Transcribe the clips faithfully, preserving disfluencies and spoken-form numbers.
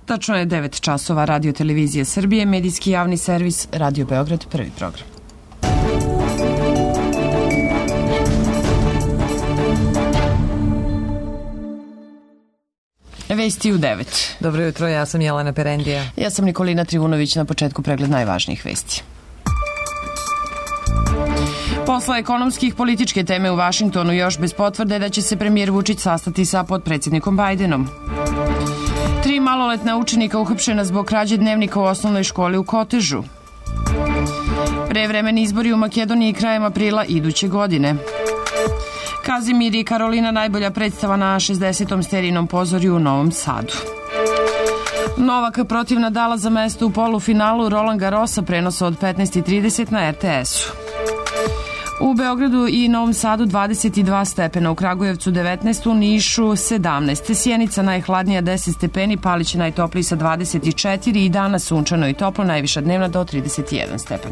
Tačno je devet časova. Radio Televizije Srbije, medijski javni servis, Radio Beograd, prvi program. Vesti u devet. Dobro jutro, ja sam Jelena Perendija. Ja sam Nikolina Trivunović, na početku pregled najvažnijih vesti. Posle ekonomskih političke teme u Vašingtonu još bez potvrde da će se premijer Vučić sastati sa potpredsjednikom Bajdenom. Tri maloletna učenika uhapšena zbog krađe dnevnika u osnovnoj školi u Kotežu. Prevremeni izbori u Makedoniji krajem aprila iduće godine. Kazimir i Karolina najbolja predstava na šezdesetom sterinom pozorju u Novom Sadu. Novak protiv Nadala za mesto u polufinalu Roland Garrosa, prenosa od petnaest i trideset na er te esu. U Beogradu i Novom Sadu dvadeset dva stepena, u Kragujevcu devetnaest, u Nišu sedamnaest, Sjenica najhladnija deset stepeni, Palić najtopliji sa dvadeset četiri i danas sunčano i toplo, najviša dnevna do trideset jedan stepen.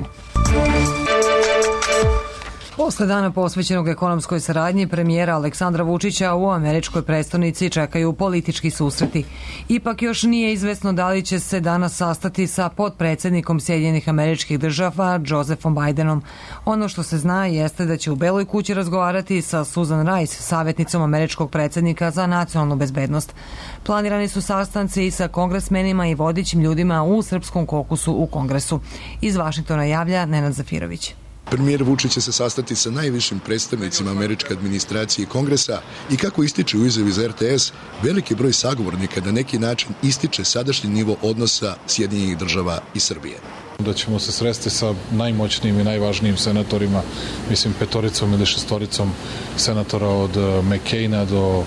Posle dana posvećenog ekonomskoj saradnji premijera Aleksandra Vučića u američkoj prestonici čekaju politički susreti. Ipak još nije izvesno da li će se danas sastati sa potpredsjednikom Sjedinjenih Američkih Država Josephom Bajdenom. Ono što se zna jeste da će u Beloj kući razgovarati sa Susan Rice, savjetnicom američkog predsjednika za nacionalnu bezbednost. Planirani su sastanci i sa kongresmenima i vodećim ljudima u srpskom kokusu u Kongresu. Iz Vašingtona javlja Nenad Zafirović. Premijer Vučić će se sastati sa najvišim predstavnicima američke administracije i Kongresa i, kako ističe u izjavi za er te es, veliki broj sagovornika na neki način ističe sadašnji nivo odnosa Sjedinjenih Država i Srbije. Da ćemo se sresti sa najmoćnijim i najvažnijim senatorima, mislim petoricom ili šestoricom senatora od McCaina do uh,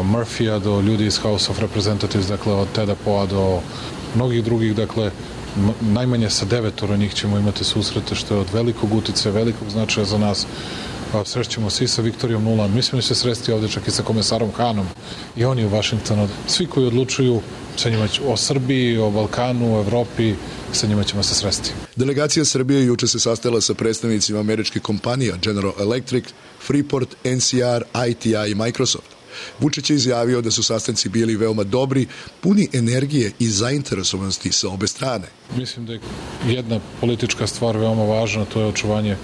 Murphy-a do ljudi iz House of Representatives, dakle od Teda Poa do mnogih drugih, dakle najmanje sa devetoro njih ćemo imati susrete, što je od velikog uticaja, velikog značaja za nas. Srećemo se i sa Viktorijom Nuland, mislim da će se sresti ovdje čak i sa komesarom Hanom, i oni u Vašingtonu. Svi koji odlučuju sa njima o Srbiji, o Balkanu, o Evropi, sa njima ćemo se sresti. Delegacija Srbije juče se sastala sa predstavnicima američkih kompanija General Electric, Freeport, en ce er, i te i i Microsoft. Vučić je izjavio da su sastanci bili veoma dobri, puni energije i zainteresovanosti sa obe strane. Mislim da je jedna politička stvar veoma važna, to je očuvanje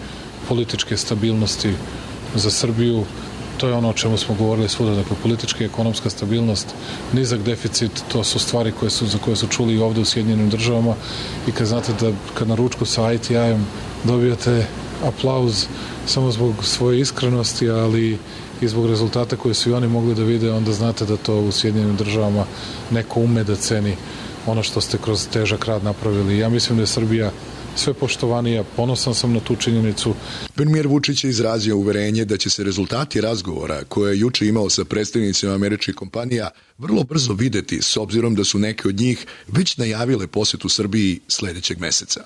političke stabilnosti za Srbiju. To je ono o čemu smo govorili svuda, dakle politička i ekonomska stabilnost, nizak deficit, to su stvari koje su, za koje su čuli i ovdje u Sjedinjenim Državama, i kad znate da kad na ručku sa i te i-em dobijate aplauz samo zbog svoje iskrenosti, ali i zbog rezultata koje su i oni mogli da vide, onda znate da to u Sjedinjenim Državama neko ume da ceni ono što ste kroz težak rad napravili. Ja mislim da je Srbija sve poštovanija, ponosan sam na tu činjenicu. Premijer Vučić je izrazio uverenje da će se rezultati razgovora koje je juče imao sa predstavnicima američkih kompanija vrlo brzo videti, s obzirom da su neke od njih već najavile posjetu Srbiji sledećeg meseca.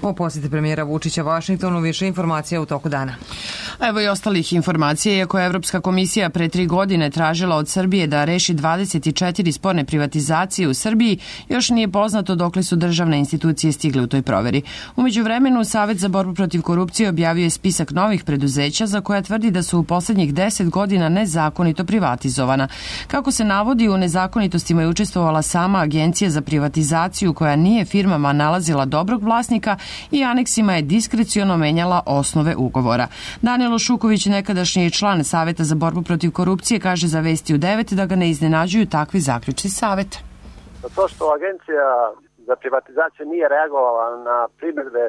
O posjeti premijera Vučića Vašingtonu više informacija u toku dana. Evo i ostalih informacija. Iako je Evropska komisija pre tri godine tražila od Srbije da reši dvadeset četiri sporne privatizacije u Srbiji, još nije poznato dokle su državne institucije stigle u toj proveri. U međuvremenu, Savet za borbu protiv korupcije objavio je spisak novih preduzeća za koja tvrdi da su u poslednjih deset godina nezakonito privatizovana. Kako se navodi, u nezakonitostima je učestvovala sama Agencija za privatizaciju, koja nije firmama nalazila dobrog vlasnika i aneksima je diskreciono menjala osnove ugovora. Danilo Šuković, nekadašnji član Saveta za borbu protiv korupcije, kaže za Vesti u devet da ga ne iznenađuju takvi zaključci Saveta. To što Agencija za privatizaciju nije reagovala na primjedbe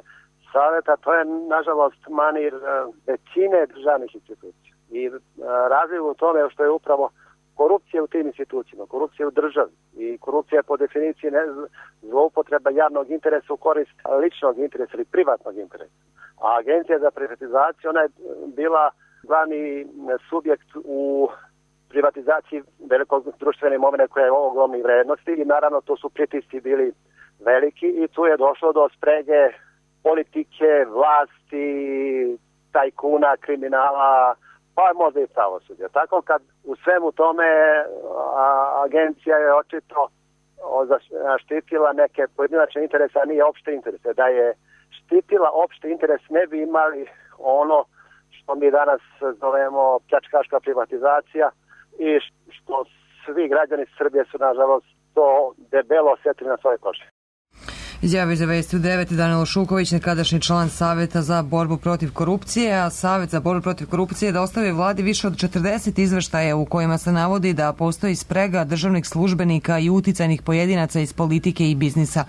Saveta, to je nažalost manir većine državnih institucija. I razlog u tome što je upravo korupcija u tim institucijama, korupcija u državi, i korupcija je po definiciji ne, zloupotreba javnog interesa u korist ličnog interesa ili privatnog interesa. A Agencija za privatizaciju, ona je bila glavni subjekt u privatizaciji velikog društvene imovine koja je ogromne vrednosti, i naravno to su pritisci bili veliki i tu je došlo do sprege politike, vlasti, tajkuna, kriminala, pa možda i pravosuđa. Tako kad u svemu tome a, agencija je očito štitila neke pojedinačne interese, a nije opšte interese. Da je štitila opšte interes, ne bi imali ono što mi danas zovemo pljačkaška privatizacija, i što svi građani Srbije su nažalost to debelo osjetili na svojoj koži. Izjavio za Vesti u devet Danilo Šuković, nekadašnji član Saveta za borbu protiv korupcije, a Savet za borbu protiv korupcije dostavio vladi više od četrdeset izveštaja u kojima se navodi da postoji sprega državnih službenika i uticajnih pojedinaca iz politike i biznisa.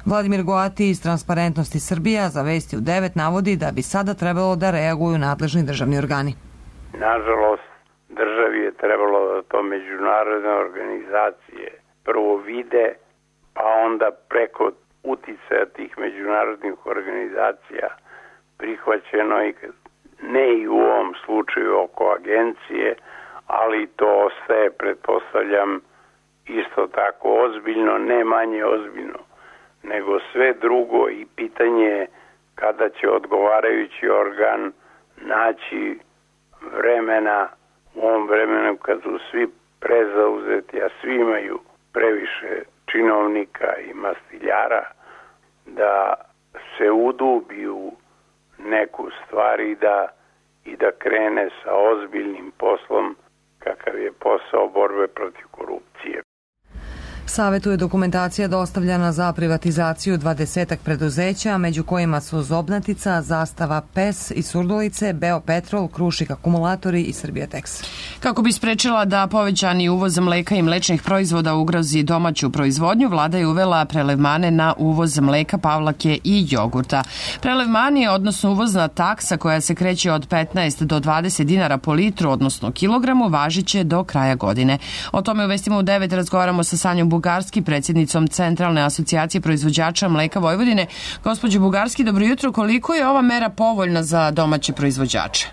Vladimir Goati iz Transparentnosti Srbija za Vesti u devet navodi da bi sada trebalo da reaguju nadležni državni organi. Nažalost, državi je trebalo da to međunarodne organizacije prvo vide, pa onda preko uticaja tih međunarodnih organizacija prihvaćeno i ne i u ovom slučaju oko agencije, ali to ostaje, pretpostavljam, isto tako ozbiljno, ne manje ozbiljno nego sve drugo i pitanje je kada će odgovarajući organ naći vremena u ovom vremenu kad su svi prezauzeti, a svi imaju previše činovnika i mastiljara, da se udubi u neku stvar i da, i da krene sa ozbiljnim poslom kakav je posao borbe protiv korupcije. Savetu je dokumentacija dostavljena za privatizaciju dvadesetak preduzeća, među kojima su Zobnatica, Zastava, P E S i Surdulice, Beopetrol, Krušik akumulatori i Srbijateks. Kako bi sprečila da povećani uvoz mleka i mlečnih proizvoda ugrozi domaću proizvodnju, vlada je uvela prelevmane na uvoz mleka, pavlake i jogurta. Prelevman je, odnosno uvozna taksa koja se kreće od petnaest do dvadeset dinara po litru, odnosno kilogramu, važiće do kraja godine. O tome u Vestima u devet razgovaramo sa Sanjom Bugarski, predsjednicom Centralne asocijacije proizvođača mleka Vojvodine. Gospođo Bugarski, dobro jutro. Koliko je ova mera povoljna za domaće proizvođače?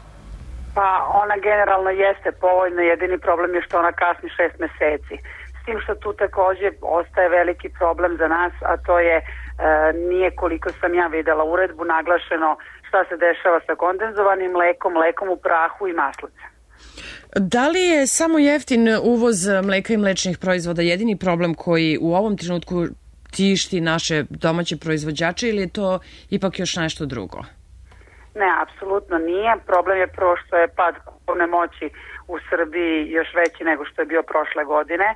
Pa ona generalno jeste povoljna, jedini problem je što ona kasni šest meseci. S tim što tu također ostaje veliki problem za nas, a to je e, nije, koliko sam ja videla uredbu, naglašeno šta se dešava sa kondenzovanim mlekom, mlekom u prahu i maslicom. Da li je samo jeftin uvoz mleka i mlečnih proizvoda jedini problem koji u ovom trenutku tišti naše domaće proizvođače ili je to ipak još nešto drugo? Ne, apsolutno nije. Problem je prvo što je pad kupovne moći u Srbiji još veći nego što je bio prošle godine. E,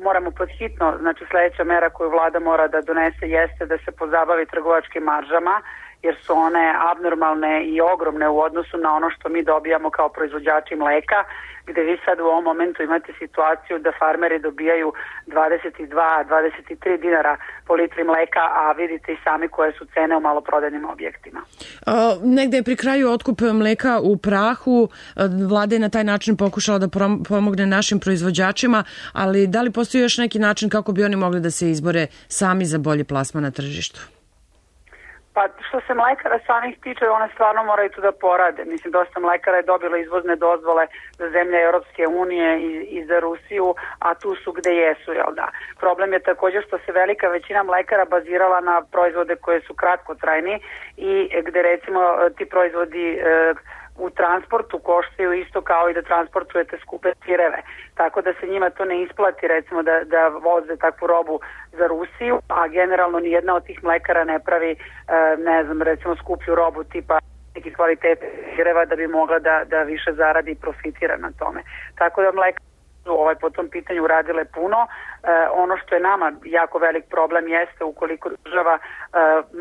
moramo podhitno, znači sljedeća mera koju vlada mora da donese jeste da se pozabavi trgovačkim maržama, jer su one abnormalne i ogromne u odnosu na ono što mi dobijamo kao proizvođači mleka, gde vi sad u ovom momentu imate situaciju da farmeri dobijaju dvadeset dva do dvadeset tri dinara po litri mleka, a vidite i sami koje su cene u maloprodajnim objektima. A, negde je pri kraju otkup mleka u prahu. Vlada je na taj način pokušala da pomogne našim proizvođačima, ali da li postoji još neki način kako bi oni mogli da se izbore sami za bolji plasman na tržištu? Pa što se mlekara samih tiče, one stvarno moraju tu da porade. Mislim, dosta mlekara je dobilo izvozne dozvole za zemlje Europske unije i, i za Rusiju, a tu su gde jesu, jel da? Problem je također što se velika većina mlekara bazirala na proizvode koje su kratkotrajni i gde recimo ti proizvodi e, u transportu koštaju isto kao i da transportujete skupe sireve. Tako da se njima to ne isplati recimo da, da voze takvu robu za Rusiju, a generalno nijedna od tih mlekara ne pravi, ne znam, recimo skuplju robu tipa nekih kvalitete sireva da bi mogla da, da više zaradi i profitira na tome. Tako da mlekar ovaj po tom pitanju uradile puno. E, ono što je nama jako velik problem jeste ukoliko država e,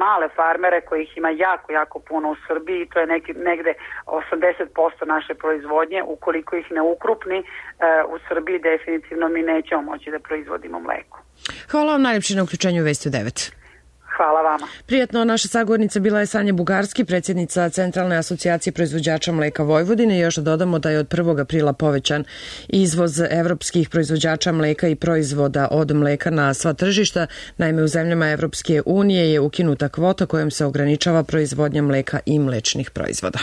male farmere kojih ima jako, jako puno u Srbiji, to je neki, negde osamdeset posto naše proizvodnje, ukoliko ih ne ukrupni e, u Srbiji definitivno mi nećemo moći da proizvodimo mleko. Hvala vam najljepše na uključenju Vesti u devet. Hvala vama. Prijatno, naša sagovornica bila je Sanja Bugarski, predsjednica Centralne asocijacije proizvođača mleka Vojvodine. Još da dodamo da je od prvog aprila povećan izvoz evropskih proizvođača mleka i proizvoda od mleka na sva tržišta. Naime, u zemljama Evropske unije je ukinuta kvota kojom se ograničava proizvodnja mleka i mlečnih proizvoda.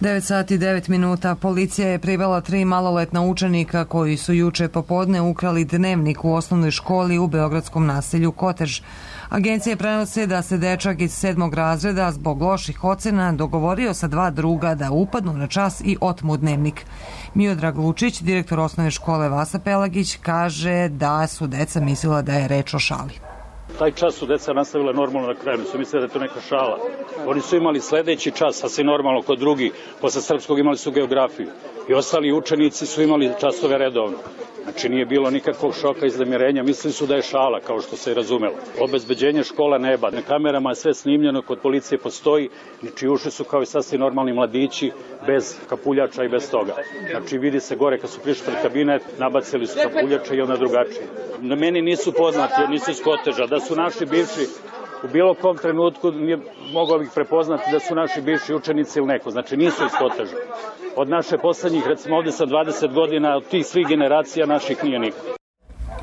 devet sati i devet minuta. Policija je privela tri maloletna učenika koji su juče popodne ukrali dnevnik u osnovnoj školi u beogradskom naselju Kotež. Agencije prenose da se dečak iz sedmog razreda zbog loših ocena dogovorio sa dva druga da upadnu na čas i otmu dnevnik. Miodrag Lučić, direktor osnovne škole Vasa Pelagić, kaže da su deca mislila da je reč o šali. Taj čas su deca nastavila normalno na kraju, su mislili da je to neka šala. Oni su imali sledeći čas, sasvim normalno kod drugi, posle srpskog imali su geografiju. I ostali učenici su imali časove redovno. Znači nije bilo nikakvog šoka, iznemirenja, mislili su da je šala, kao što se je razumelo. Obezbeđenje škola neba, na kamerama je sve snimljeno, kod policije postoji, znači ušli su kao i sasvim normalni mladići, bez kapuljača i bez toga. Znači vidi se gore kad su prišli pred kabinet, nabacili su kapuljača i onda drugačije. Na meni nisu poznati, jer nisu iz Koteža, da su naši bivši u bilo kom trenutku nije mogao bih prepoznati da su naši bivši učenici ili neko, znači nisu iz Koteža. Od naše poslednjih, recimo ovde sa dvadeset godina, od tih svih generacija naših nije niko.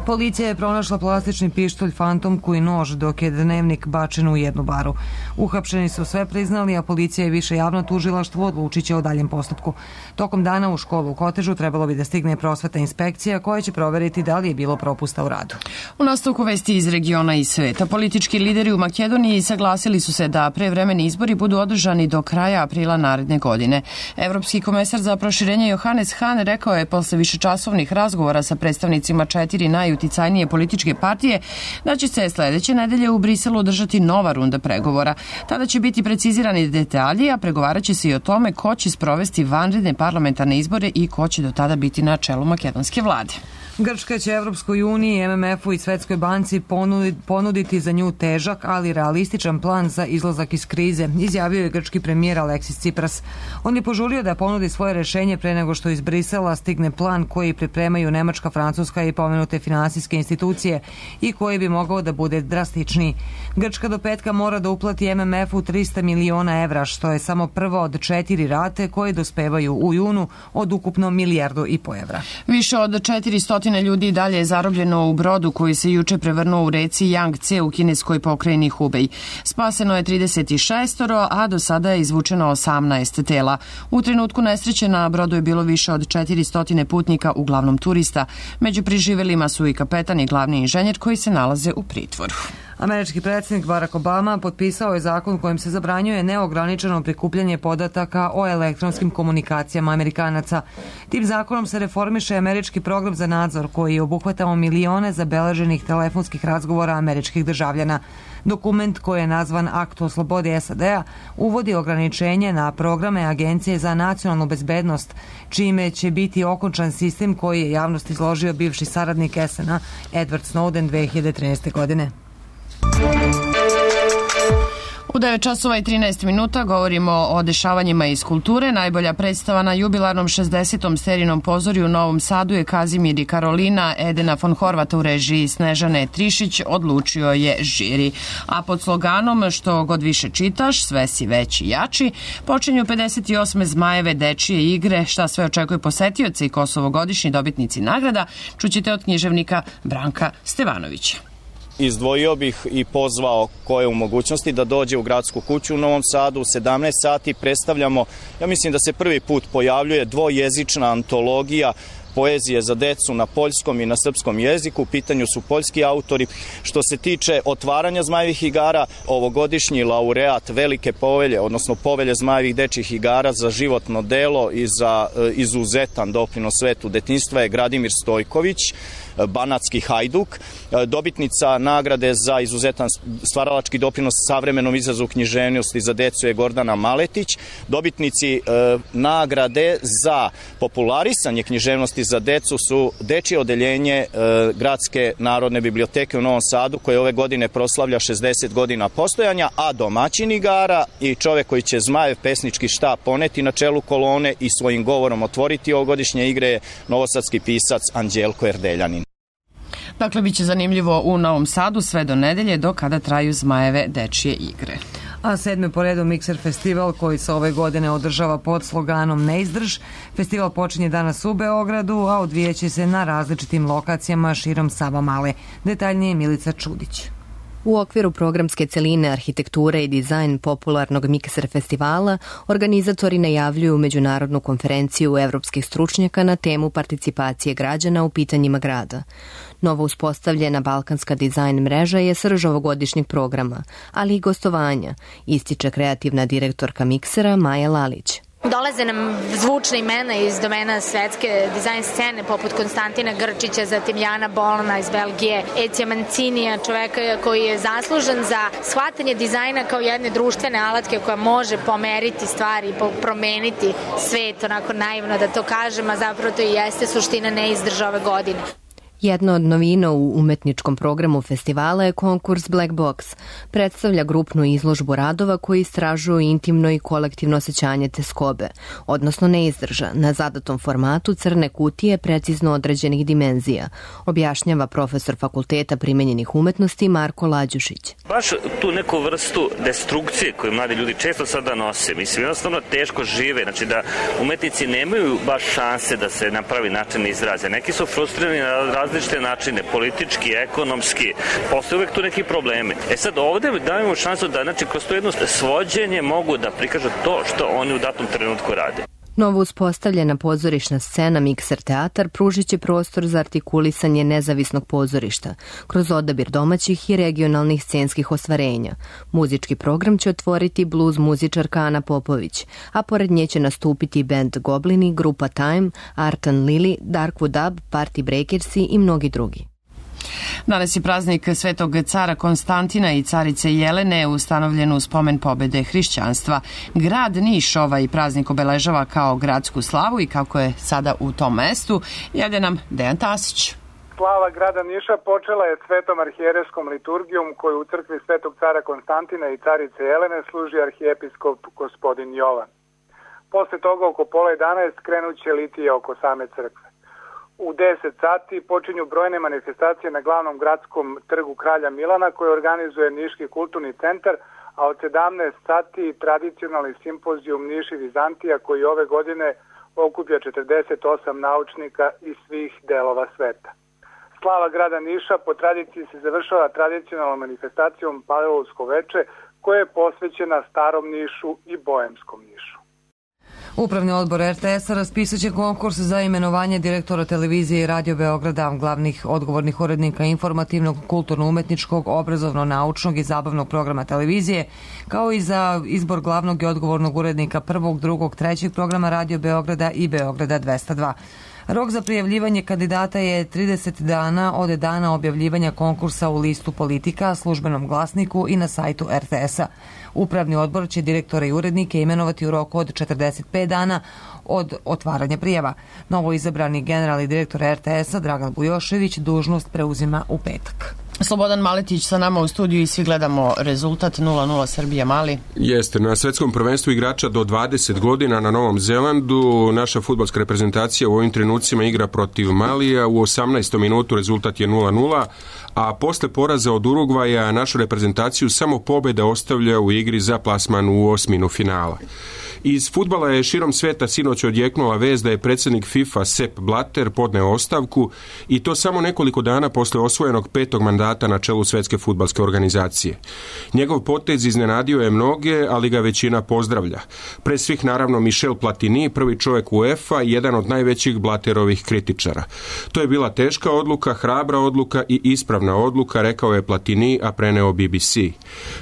Policija je pronašla plastični pištolj, fantomku i nož dok je Dnevnik bačen u jednu baru. Uhapšeni su sve priznali, a policija je više javno tužilaštvo odlučit će o daljem postupku. Tokom dana u školu u Kotežu trebalo bi da stigne prosvetna inspekcija koja će proveriti da li je bilo propusta u radu. U nastavku vesti iz regiona i sveta, politički lideri u Makedoniji saglasili su se da prevremeni izbori budu održani do kraja aprila naredne godine. Evropski komesar za proširenje Johannes Hahn rekao je posle višečasovnih razgovora sa predstavnicima četiri najuticajnije političke partije da će se sledeće nedelje u Briselu održati nova runda pregovora. Tada će biti precizirani detalji, a pregovarat će se i o tome ko će sprovesti vanredne parlamentarne izbore i ko će do tada biti na čelu makedonske vlade. Grčka će Evropskoj uniji, M M F-u i Svetskoj banci ponuditi za nju težak, ali realističan plan za izlazak iz krize, izjavio je grčki premijer Aleksis Tsipras. On je požurio da ponudi svoje rešenje pre nego što iz Brisela stigne plan koji pripremaju Nemačka, Francuska i pomenute finansijske institucije i koji bi mogao da bude drastičniji. Grčka do petka mora da uplati M M F-u trista miliona evra, što je samo prva od četiri rate koje dospevaju u junu od ukupno milijardu i po evra. Više od četiristo ljudi dalje je zarobljeno u brodu koji se juče prevrnuo u reci Yangtze u kineskoj pokrajini Hubei. Spaseno je trideset šest, a do sada je izvučeno osamnaest tela. U trenutku nesreće na brodu je bilo više od četiristo putnika, uglavnom turista. Među preživelima su i kapetan i glavni inženjer koji se nalaze u pritvoru. Američki predsjednik Barack Obama potpisao je zakon kojim se zabranjuje neograničeno prikupljanje podataka o elektronskim komunikacijama Amerikanaca. Tim zakonom se reformiše američki program za nadzor koji je obuhvatao milione zabeleženih telefonskih razgovora američkih državljana. Dokument koji je nazvan Akt o slobodi S A D-a uvodi ograničenje na programe Agencije za nacionalnu bezbednost, čime će biti okončan sistem koji je javnost izložio bivši saradnik S N A Edward Snowden dve hiljade trinaeste. godine. U devet časova i trinaest minuta govorimo o dešavanjima iz kulture. Najbolja predstava na jubilarnom šezdesetom serijnom pozorju u Novom Sadu je Kazimir i Karolina Edena von Horvata u režiji Snežane Trišić, odlučio je žiri. A pod sloganom što god više čitaš, sve si veći i jači, počinju pedeset osme Zmajeve dečije igre. Šta sve očekuje posetioce i kosovogodišnji dobitnici nagrada, čućete od književnika Branka Stevanovića. Izdvojio bih i pozvao ko je u mogućnosti da dođe u Gradsku kuću u Novom Sadu. U sedamnaest sati predstavljamo, ja mislim da se prvi put pojavljuje dvojezična antologija poezije za decu na poljskom i na srpskom jeziku. U pitanju su poljski autori. Što se tiče otvaranja Zmajevih igara, ovogodišnji laureat Velike povelje, odnosno povelje Zmajevih dečjih igara za životno delo i za izuzetan doprinos svetu detinjstva je Gradimir Stojković, banatski hajduk. Dobitnica nagrade za izuzetan stvaralački doprinos savremenom izrazu književnosti za decu je Gordana Maletić. Dobitnici e, nagrade za popularisanje književnosti za decu su dečije odeljenje e, Gradske narodne biblioteke u Novom Sadu, koje ove godine proslavlja šezdeset godina postojanja, a domaćin igara i čovek koji će Zmajev pesnički štab poneti na čelu kolone i svojim govorom otvoriti ovogodišnje igre je novosadski pisac Anđelko Erdeljanin. Dakle, biće zanimljivo u Novom Sadu sve do nedelje do kada traju Zmajeve dečije igre. A sedmi po redu Mikser festival koji se ove godine održava pod sloganom Ne izdrž. Festival počinje danas u Beogradu, a odvijeće se na različitim lokacijama širom Savamale. Detaljnije Milica Čudić. U okviru programske celine arhitekture i dizajn popularnog Mikser festivala, organizatori najavljuju međunarodnu konferenciju evropskih stručnjaka na temu participacije građana u pitanjima grada. Novo uspostavljena balkanska dizajn mreža je srž ovogodišnjeg programa, ali i gostovanja, ističe kreativna direktorka Miksera Maja Lalić. Dolaze nam zvučne imena iz domena svetske dizajn scene, poput Konstantina Grčića, zatim Jana Bolna iz Belgije, Ezia Mancinija, čoveka koji je zaslužan za shvatanje dizajna kao jedne društvene alatke koja može pomeriti stvari, promeniti svet, onako naivno da to kažem, a zapravo to i jeste suština neizdrža ove godine. Jedna od novina u umetničkom programu festivala je konkurs Black Box. Predstavlja grupnu izložbu radova koji istražuju intimno i kolektivno osjećanje teskobe, odnosno neizdrža, na zadatom formatu crne kutije precizno određenih dimenzija, objašnjava profesor Fakulteta primenjenih umetnosti Marko Lađušić. Baš tu neku vrstu destrukcije koju mladi ljudi često sada nose, mislim, jednostavno teško žive, znači da umetnici nemaju baš šanse da se na pravi način izraze. Neki su frustrirani na različite načine, politički, ekonomski, postoje uvek tu neki problemi. E sad ovde dajemo šansu da, znači, kroz to jedno svođenje mogu da prikažu to što oni u datom trenutku rade. Novo uspostavljena pozorišna scena Mikser teatar pružit će prostor za artikulisanje nezavisnog pozorišta kroz odabir domaćih i regionalnih scenskih ostvarenja. Muzički program će otvoriti blues muzičarka Ana Popović, a pored nje će nastupiti band Goblini, grupa Time, Artan Lili, Darkwood Dub, Party Breakersi i mnogi drugi. Danas je praznik Svetog cara Konstantina i carice Jelene, ustanovljen u spomen pobede hrišćanstva. Grad Niš ovaj praznik obeležava kao gradsku slavu i kako je sada u tom mestu, javlja nam Dejan Tasić. Slava grada Niša počela je svetom arhijerejskom liturgijom koju u crkvi Svetog cara Konstantina i carice Jelene služi arhijepiskop gospodin Jovan. Posle toga oko pola jedanaest krenut će litije oko same crkve. U deset sati počinju brojne manifestacije na glavnom gradskom trgu Kralja Milana koje organizuje Niški kulturni centar, a od sedamnaest sati tradicionalni simpozijum Niš i Vizantija koji ove godine okuplja četrdeset osam naučnika iz svih delova sveta. Slava grada Niša po tradiciji se završava tradicionalnom manifestacijom Pavlovsko veče koja je posvećena Starom Nišu i Boemskom Nišu. Upravni odbor er te es-a raspisat će konkurs za imenovanje direktora televizije i radio Beograda, glavnih odgovornih urednika informativnog, kulturno-umetničkog, obrazovno-naučnog i zabavnog programa televizije, kao i za izbor glavnog i odgovornog urednika prvog, drugog, trećeg programa radio Beograda i Beograda dvesta dva. Rok za prijavljivanje kandidata je trideset dana od dana objavljivanja konkursa u listu Politika, službenom glasniku i na sajtu er te es-a. Upravni odbor će direktore i urednike imenovati u roku od četrdeset pet dana od otvaranja prijava. Novo izabrani generalni direktor er te es-a Dragan Bujošević dužnost preuzima u petak. Slobodan Maletić sa nama u studiju i svi gledamo rezultat nula nula Srbija-Mali. Jeste, na svetskom prvenstvu igrača do dvadeset godina na Novom Zelandu naša fudbalska reprezentacija u ovim trenucima igra protiv Malija. U osamnaestom minutu rezultat je nula nula, a posle poraza od Urugvaja našu reprezentaciju samo pobjeda ostavlja u igri za plasman u osminu finala. Iz fudbala je širom sveta sinoć odjeknula vest da je predsjednik FIFA Sepp Blatter podneo ostavku i to samo nekoliko dana posle osvojenog petog mandata na čelu Svetske fudbalske organizacije. Njegov potez iznenadio je mnoge, ali ga većina pozdravlja. Pre svih naravno Michel Platini, prvi čovjek UEFA i jedan od najvećih Blatterovih kritičara. To je bila teška odluka, hrabra odluka i ispravna odluka, rekao je Platini, a preneo be be ce.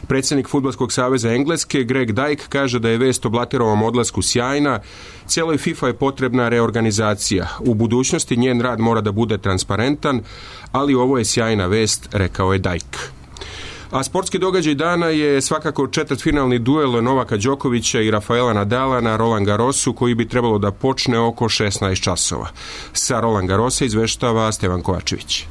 Predsjednik Fudbalskog saveza Engleske Greg Dyke kaže da je vest o Blatterovom odlasku sjajna. Cijeloj FIFA je potrebna reorganizacija. U budućnosti njen rad mora da bude transparentan, ali ovo je sjajna vest, rekao je Dyke. A sportski događaj dana je svakako četvrtfinalni duel Novaka Đokovića i Rafaela Nadala na Roland Garrosu koji bi trebalo da počne oko šesnaest časova. Sa Roland Garrosa izveštava Stevan Kovačević.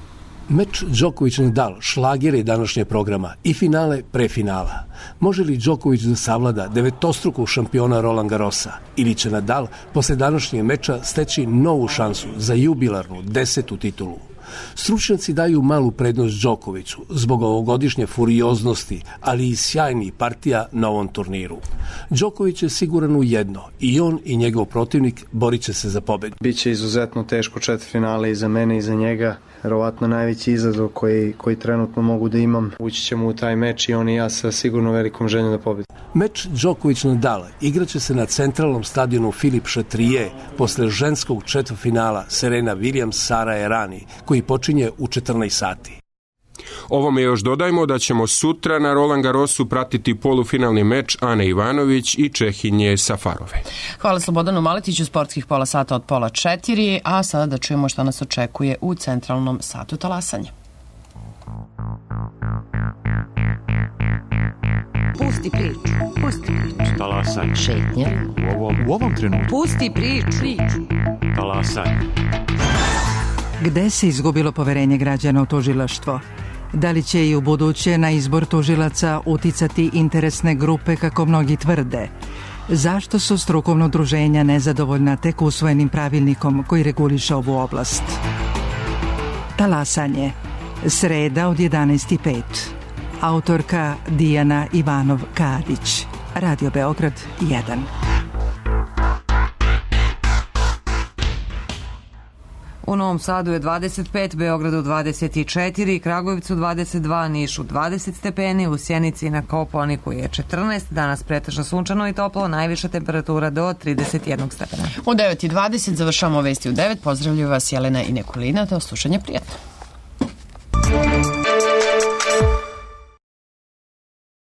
Meč Đoković-Nadal šlager je današnje programa i finale pre finala. Može li Đoković da savlada devetostrukog šampiona Roland Garrosa ili će Nadal posle današnjeg meča steći novu šansu za jubilarnu desetu titulu? Stručnjaci daju malu prednost Đokoviću zbog ovogodišnje furioznosti, ali i sjajnih partija na ovom turniru. Đoković je siguran u jedno, i on i njegov protivnik borit će se za pobedu. Biće izuzetno teško četvrtfinale i za mene i za njega. Verovatno najveći izazov koji, koji trenutno mogu da imam. Ući ćemo u taj meč i on i ja sa sigurno velikom željom da pobedi. Meč Đoković-Nadal igraće se na centralnom stadionu Filip Chatrier posle ženskog četvrtfinala Serena Williams-Sara Errani koji počinje u četrnaest sati. Ovome još dodajmo da ćemo sutra na Roland Garrosu pratiti polufinalni meč Ane Ivanović i Čehinje Safarove. Hvala Slobodanu Maletiću, sportskih pola sata od pola četiri, a sada da čujemo šta nas očekuje u centralnom satu talasanja. Pusti priču. Pusti priču. Talasanje. Šetnja. U ovom, u ovom trenutku. Pusti priču. Priču. Talasanje. Gde se izgubilo poverenje građana u tužilaštvo? Da li će i u buduće na izbor tužilaca uticati interesne grupe kako mnogi tvrde? Zašto su strukovna udruženja nezadovoljna tek usvojenim pravilnikom koji reguliše ovu oblast? Talasanje. Sreda od jedanaest i pet. Autorka Dijana Ivanov-Kadić. Radio Beograd jedan. U Novom Sadu je dvadeset pet, Beogradu dvadeset četiri, Kragujevcu dvadeset dva, Nišu dvadeset stepeni, u Sjenici na Kopaoniku je četrnaest, danas pretežno sunčano i toplo, najviša temperatura do trideset jedan stepena. U devet i dvadeset završamo vesti u devet, pozdravljuju vas Jelena i Nekulina, do slušanja, prijatno.